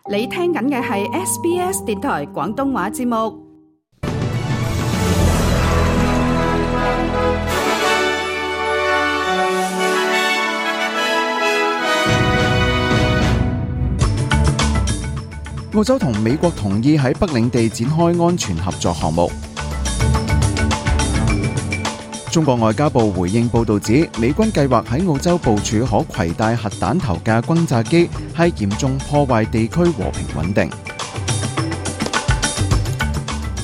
你聽緊嘅係 SBS 電台廣東話節目。澳洲同美國同意喺北領地展開安全合作項目。中國外交部回應報道指，美軍計劃喺澳洲部署可攜帶核彈頭嘅轟炸機，係嚴重破壞地區和平穩定。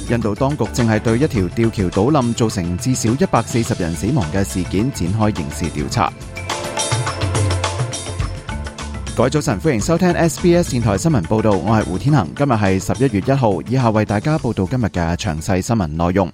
印度當局正係對一條吊橋倒冧造成至少140人死亡嘅事件展開刑事調查。各位早晨，歡迎收聽 SBS 電台新聞報道，我係胡天恒。今日係11月1號，以下為大家報道今日嘅詳細新聞內容。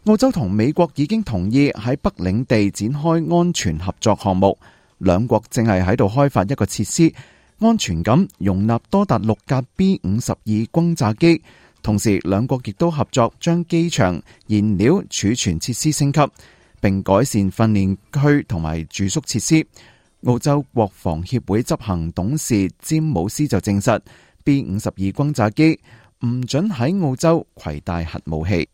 澳洲同美國已經同意喺北領地展開安全合作項目，兩國正係喺度開發一個設施，安全咁容納多達6架 B-52 轟炸機。同時，兩國亦都合作將機場燃料儲存設施升級，並改善訓練區同埋住宿設施。澳洲國防協會執行董事詹姆斯就證實 B-52 轟炸機唔准喺澳洲攜帶核武器。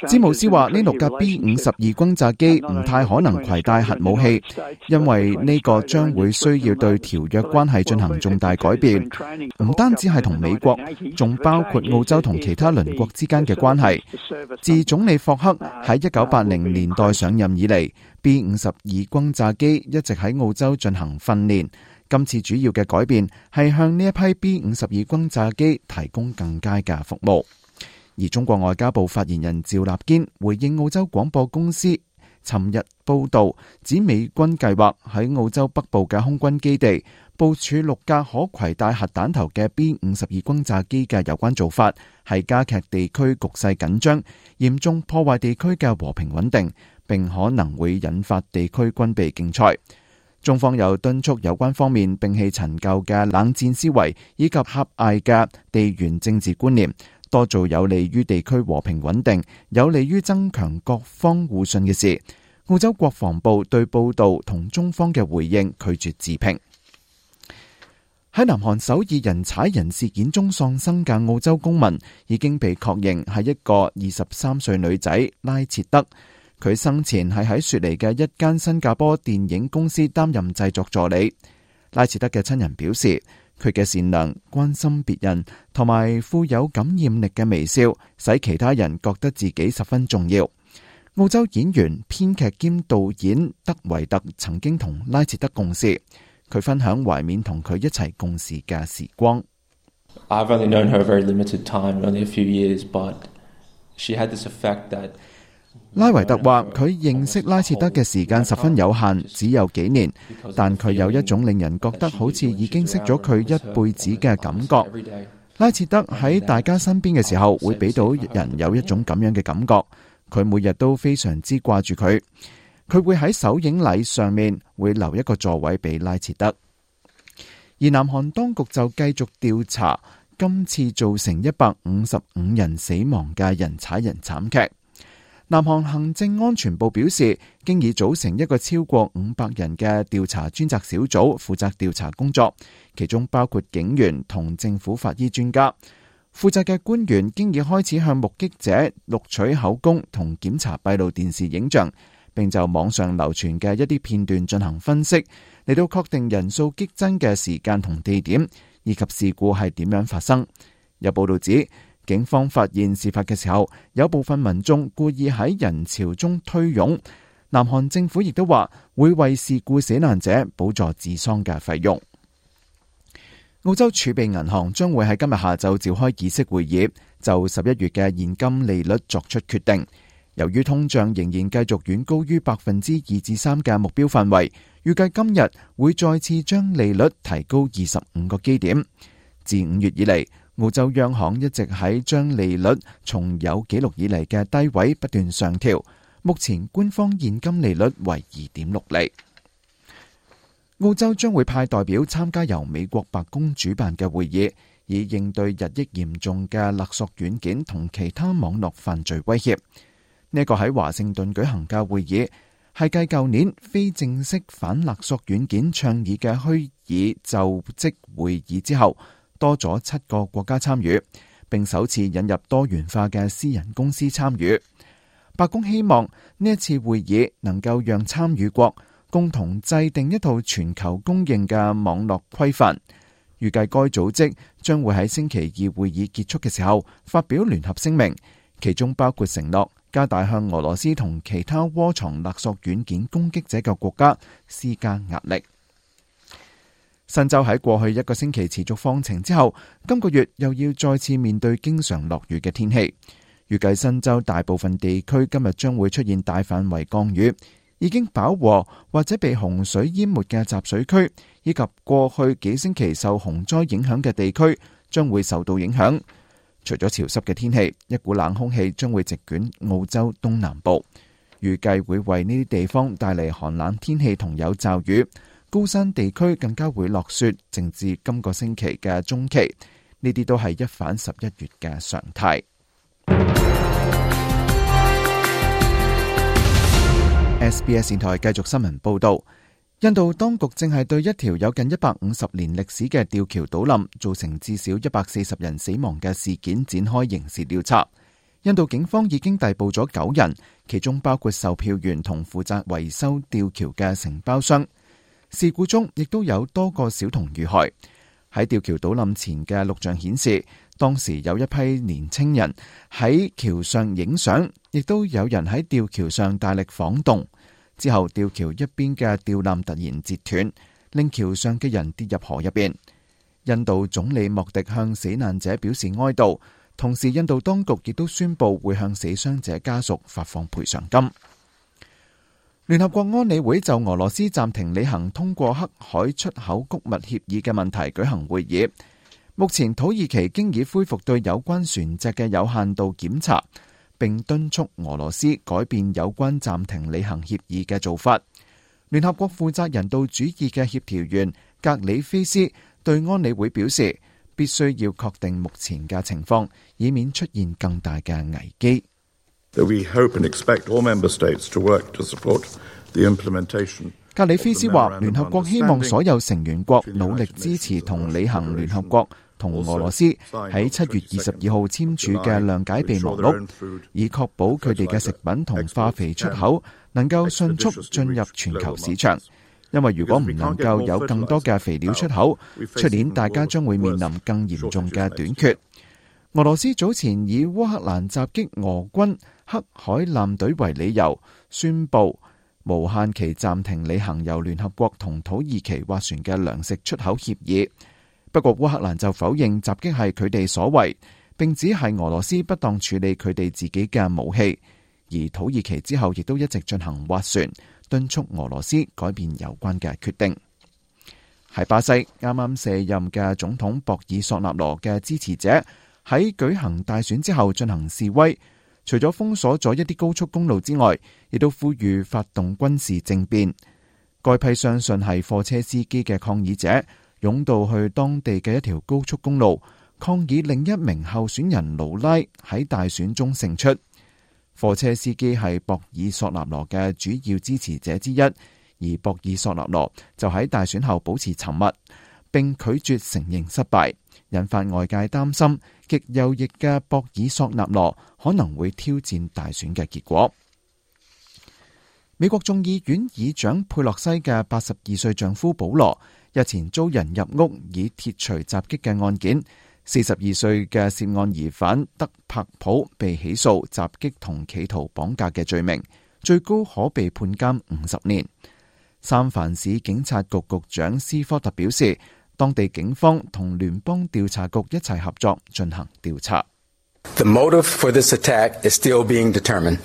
詹姆斯話呢6架 B-52 轟炸機唔太可能攜帶核武器，因為呢個將會需要對條約關係進行重大改變，唔單止係同美國，仲包括澳洲同其他鄰國之間嘅關係。自總理霍克喺1980年代上任以嚟， B-52 轟炸機一直喺澳洲進行訓練。今次主要嘅改變係向呢一批 B-52 轟炸機提供更佳嘅服務。而中國外交部發言人趙立堅回應澳洲廣播公司尋日報道，指美軍計劃喺澳洲北部嘅空軍基地部署6架可攜帶核彈頭嘅 B-52 轟炸機嘅有關做法，係加劇地區局勢緊張，嚴重破壞地區嘅和平穩定，並可能會引發地區軍備競賽。中方又敦促有關方面摒棄陳舊嘅冷戰思維以及狹隘嘅地緣政治觀念，多做有利於地區和平穩定、有利於增強各方互信嘅事。澳洲國防部對報道同中方嘅回應拒絕置評。喺南韓首爾人踩人事件中喪生嘅澳洲公民已經被確認係一個23歲女仔拉切德。佢生前係喺雪梨嘅一間新加坡電影公司擔任製作助理。拉切德嘅親人表示，佢嘅善良、關心別人同埋富有感染力嘅微笑，使其他人覺得自己十分重要。澳洲演員、編劇兼導演德維特曾經同拉切德共事，佢分享懷緬同佢一齊共事嘅時光。I've only known her a very limited time, only a few years, but she had this effect that拉維特話佢認識拉切德嘅時間十分有限，只有幾年，但佢有一種令人覺得好似已經識咗佢一輩子嘅感覺。拉切德喺大家身邊嘅時候，會俾到人有一種咁樣嘅感覺。佢每日都非常之掛住佢，佢會喺首映禮上面會留一個座位俾拉切德。而南韓當局就繼續調查今次造成155人死亡嘅人踩人慘劇。南韓行政安全部表示，經已組成一個超過500人嘅調查專責小組，負責調查工作，其中包括警員同政府法醫專家。負責嘅官員經已開始向目擊者錄取口供同檢查閉路電視影像，並就網上流傳嘅一啲片段進行分析，嚟到確定人數激增嘅時間同地點，以及事故係點樣發生。有報道指，警方發現事發嘅時候，有部分民眾故意喺人潮中推擁。南韓政府亦都話會為事故死難者補助治喪嘅費用。澳洲儲備銀行將會喺今日下晝召開議息會議，就11月嘅現金利率作出決定。由於通脹仍然繼續遠高於2%至3%嘅目標範圍，預計今日會再次將利率提高25個基點。自5月以嚟，澳洲央行一直喺將利率從有紀錄以嚟嘅低位不斷上調，目前官方現金利率為 2.6 厘。澳洲將會派代表參加由美國白宮主辦嘅會議，以應對日益嚴重嘅勒索軟件同其他網絡犯罪威脅。呢個喺華盛頓舉行嘅會議係繼舊年非正式反勒索軟件倡議嘅虛擬就職會議之後，多咗7個國家參與，並首次引入多元化嘅私人公司參與。白宮希望呢一次會議能夠讓參與國共同制定一套全球公認嘅網絡規範。預計該組織將會喺星期二會議結束嘅時候發表聯合聲明，其中包括承諾加大向俄羅斯同其他窩藏勒索軟件攻擊者嘅國家施加壓力。新州喺過去1個星期持續放晴之後，今個月又要再次面對經常落雨嘅天氣。預計新州大部分地區今日將會出現大範圍降雨，已經飽和或者被洪水淹沒嘅集水區，以及過去幾星期受洪災影響嘅地區將會受到影響。除咗潮濕嘅天氣，一股冷空氣將會席捲澳洲東南部，預計會為呢啲地方帶嚟寒冷天氣同有驟雨。高山地區更加會落雪，直至今個星期嘅中期。呢啲都係一反11月嘅常態。SBS 電台繼續新聞報道，印度當局正係對一條有近150年歷史嘅吊橋倒冧，造成至少140人死亡嘅事件展開刑事調查。印度警方已經逮捕咗9人，其中包括售票員同負責維修吊橋嘅承包商。事故中亦都有多個小童遇害。喺吊橋倒冧前嘅錄像顯示，當時有一批年青人喺橋上影相，亦都有人喺吊橋上大力晃動。之後吊橋一邊嘅吊纜突然截斷，令橋上嘅人跌入河入邊。印度總理莫迪向死難者表示哀悼，同時印度當局亦都宣布會向死傷者家屬發放賠償金。聯合國安理會就俄羅斯暫停履行通過黑海出口穀物協議嘅問題舉行會議。目前土耳其經已恢復對有關船隻嘅有限度檢查，並敦促俄羅斯改變有關暫停履行協議嘅做法。聯合國負責人道主義嘅協調員格里菲斯對安理會表示，必須要確定目前嘅情況，以免出現更大嘅危機。格里菲斯話，聯合國希望所有成員國努力支持同履行聯合國同俄羅斯喺7月22號簽署嘅諒解備忘錄，以確保佢哋嘅食品同化肥出口能夠迅速進入全球市場。因為如果唔能夠有更多嘅肥料出口，出年大家將會面臨更嚴重嘅短缺。俄羅斯早前以烏克蘭襲擊俄軍黑海艦隊為理由，宣布無限期暫停履行由聯合國同土耳其斡旋嘅糧食出口協議。不過烏克蘭就否認襲擊係佢哋所為，並指係俄羅斯不當處理佢哋自己嘅武器。而土耳其之後亦都一直進行斡旋，敦促俄羅斯改變有關嘅決定。喺巴西，啱啱卸任嘅總統博爾索納羅嘅支持者喺舉行大選之後進行示威，除咗封鎖咗一啲高速公路之外，亦都呼籲發動軍事政變。該批相信係貨車司機嘅抗議者湧到去當地嘅一條高速公路，抗議另一名候選人盧拉喺大選中勝出。貨車司機係博爾索納羅嘅主要支持者之一，而博爾索納羅就喺大選後保持沉默，並拒絕承認失敗，引發外界擔心極右翼嘅博爾索納羅可能會挑戰大選嘅結果。美國眾議院議長佩洛西嘅82歲丈夫保羅日前遭人入屋以鐵錘襲擊嘅案件，42歲嘅涉案疑犯德柏普被起訴襲擊同企圖綁架嘅罪名，最高可被判監50年。三藩市警察局局長斯科特表示，當地警方同聯邦調查局一齊合作進行調查。The motive for this attack is still being determined.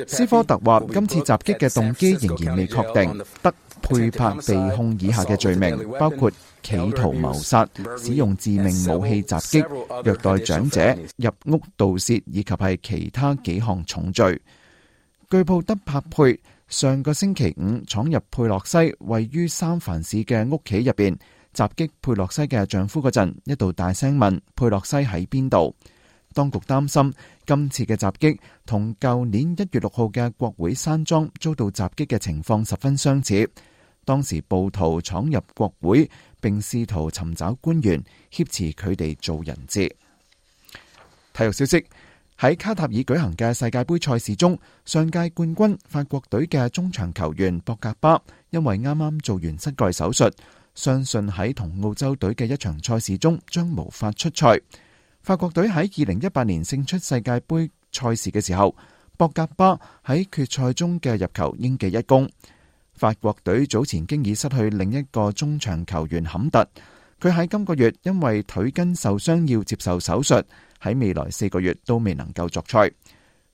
斯科特話，今次襲擊嘅動機仍然未確定。德佩柏被控以下嘅罪名，包括企圖謀殺、使用致命武器襲擊、虐待長者、入屋盜竊以及係其他幾項重罪。據報德柏佩上個星期五闖入佩洛西位於三藩市嘅屋企入邊，襲擊佩洛西嘅丈夫嗰陣，一度大聲問佩洛西喺邊度。當局擔心今次嘅襲擊同舊年1月6號嘅國會山莊遭到襲擊嘅情況十分相似。當時暴徒闖入國會，並試圖尋找官員，挾持佢哋做人質。體育消息：喺卡塔爾舉行嘅世界盃賽事中，上屆冠軍法國隊嘅中場球員博格巴因為啱啱做完膝蓋手術，相信喺同澳洲隊嘅一場賽事中將無法出賽。法國隊喺2018年勝出世界盃賽事嘅時候，博格巴喺決賽中嘅入球應記一功。法國隊早前經已失去另一個中場球員坎特，佢喺今個月因為腿筋受傷要接受手術，喺未來4個月都未能夠作賽。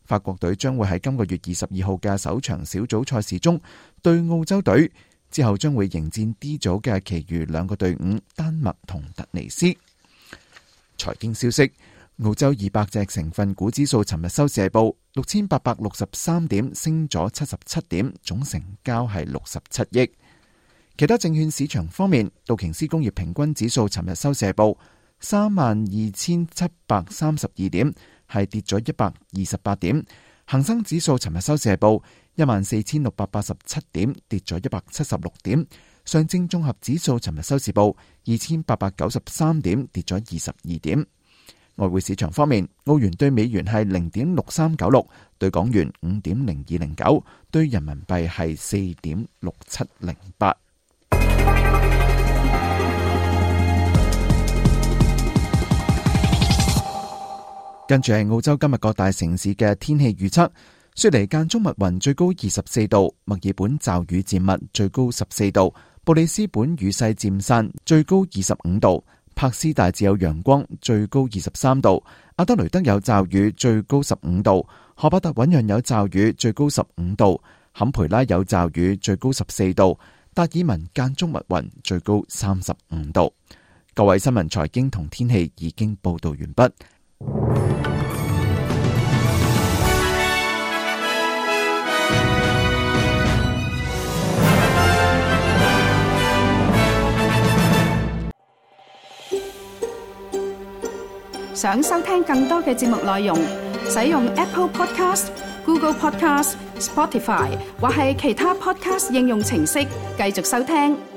法國隊將會喺今個月22號嘅首場小組賽事中對澳洲隊，之後將會迎戰 D 組嘅其餘2個隊伍丹麥同突尼斯。財經消息：澳洲200隻成分股指數尋日收市報6863點，升咗77點，總成交係67億。其他證券市場方面，道瓊斯工業平均指數尋日收市報32732點，係跌咗128點。恒生指數尋日收市報14687點，跌咗176點。上證綜合指數尋日收市報2893點，跌咗22點。外匯市場方面，澳元對美元係0.6396，對港元5.0209，對人民幣係4.6708。跟住係澳洲今日各大城市嘅天氣預測：雪梨間中密雲，最高24度；墨爾本驟雨漸密，最高14度；布里斯本雨勢漸散，最高25度；柏斯大致有陽光，最高23度；阿德雷德有驟雨，最高15度；荷伯特醞釀有驟雨，最高15度；坎培拉有驟雨，最高14度；達爾文間中密雲，最高35度。各位新聞財經同天氣已經報道完畢。想收聽更多嘅節目內容，使用 Apple Podcast、Google Podcast、Spotify 或係其他 Podcast 應用程式繼續收聽。